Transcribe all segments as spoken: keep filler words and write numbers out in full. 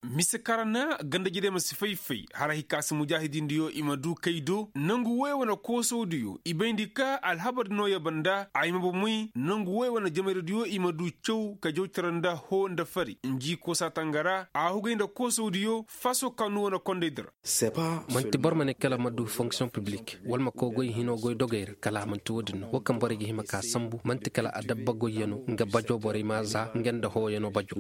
Mise kaŋ ra na ganda-jidey ma si fay-fay har hay ka se mujaahidindiyo i ma du kay do nangu woy wane koosawdiyo i bayndi ka alhabar di nooya banda a hima bomey nangu woy wane jamayrawdiyo i ma du caw ka jaw cere nda hoo nda fari nji koosa tanga ra a hugay nda koosawdiyo faso kaanu wane kondaydi ra. Man'ti boro ma ne kala ma du fonksiyoŋ piblik wala ma koy goy hinoo goy dogey ra kala a man'ti wo-din no wo kaŋ borey ga hima ka sambu man'ti kala adabba goyyanoo nga bajo borey ma a za nga nda hooyanoo bajo.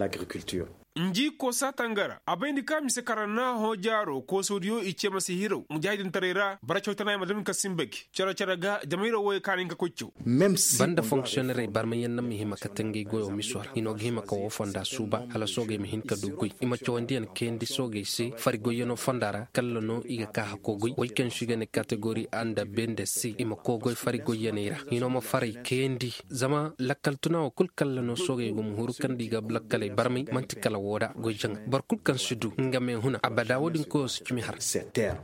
Nji koosa tanga ra a bayndi ka mise kaŋ ra na hõ jaaro koosawdiyo i ce ma si hiraw mujaahidintaray ra bara cawtanay ma dam ka simba gi cere-cere ga jamayra wooyo kaani nga koy caw. Banda fonksiyonerey barmayaŋ na ma hima ka tangay goyo miso ra hino ga hima ka woo fonda suuba hala soogey ma hin ka du goy i ma cawandiyaŋ kayandi soogey se fari goyyanoo fonda ra kalla no i ga ka hakoo goy woy kaŋ se i ga ne kategori a nda be nda se i ma koo goy fari goyyaney ra hino ma faray kayandi. Zama lakkal tuna woo kul kalla no soogey go ma huru kaŋ nda i ga lakkaley barmay man'ti kala woo da goy jaŋa boro kul kaŋ si du nga me huna abada wo-din koyoo si cimi har.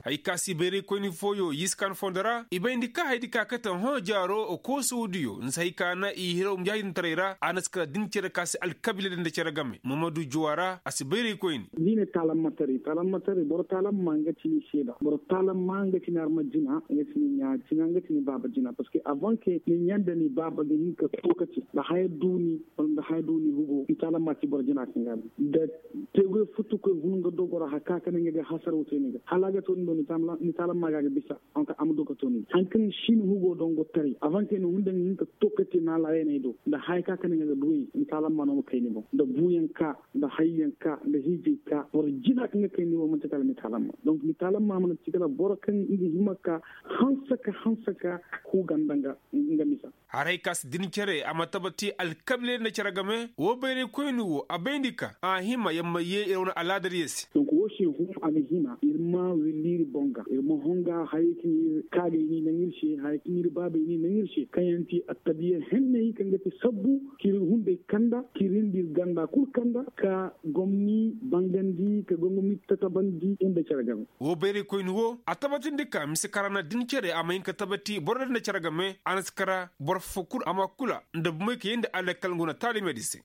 Hay ka si bayraykoyni fooyo yiskan fondo ra i bayndi ka haydi ka kate hõ jaaro koosawdiyo nda si hay ka na i hiraw mujaahidintaray ra a na si kala din cere ka si alkabiila din nda cere game mamadu juwa ra a si bayraykoyni. Ni ne taalamma taray taalamma taray boro taalamma nga ci ni seeda boro taalamma nga ci ni arma jina nga ci ni ɲaa jina nga ci ni baaba jina parceque avant ke ni ɲaa nda ni baaba ga hin ka tookaci nda haya duuni wala nda haya duuni hugo ni taalamma ci boro jina kaŋ ga no nda teegoy futukoy hun nga dogo ra hari ka ka ne nga ga hasaraw te ni ga hala a ga to ni do ni taalamma ga a ga bisa. Anka a ma du ka to ni hari kaŋ si ni hugo dongo taray avant ke ni hun nda nga hin ka tookaci na laayaney do nda haya ka ka ne nga ga duwey ni taalamma no ma kay ni boŋ nda buuyaŋ ka nda hayyaŋ ka nda hiijay ka boro jina kaŋ ga kay ni boŋ man'ti kala ni taalamma donk ni taalamma mana ci kala boro kaŋ nga hima ka hanse ka hanse ka ku ganda nga misa. Haray ka si din cere a ma tabati alkabiilay nda cere game woo bayraykoyni woo a bayndi ka a hima yamma yee ir wane alaadar yee se. Donk woo se hum a ga hima ir ma willi ir boŋ ga ir ma honga hayey kaŋ ir kaagay ni naŋ ir se hayey kaŋ ir baabay ni naŋ ir se kaŋ yaŋ ti attabiya henney kaŋ ga ti sabbu k'ir hunday kanda k'ir nda ir ganda kul kanda ka gomni bangandi ka gomni tatabandi ir nda cere game. Woo bayraykoyni woo a tabatindi ka mise kara na din cere a ma hin ka tabati boro din nda cere game a na si kara boro foo kul a ma kula nda bumey ka yee nda alakkal nga wane taalimedi se.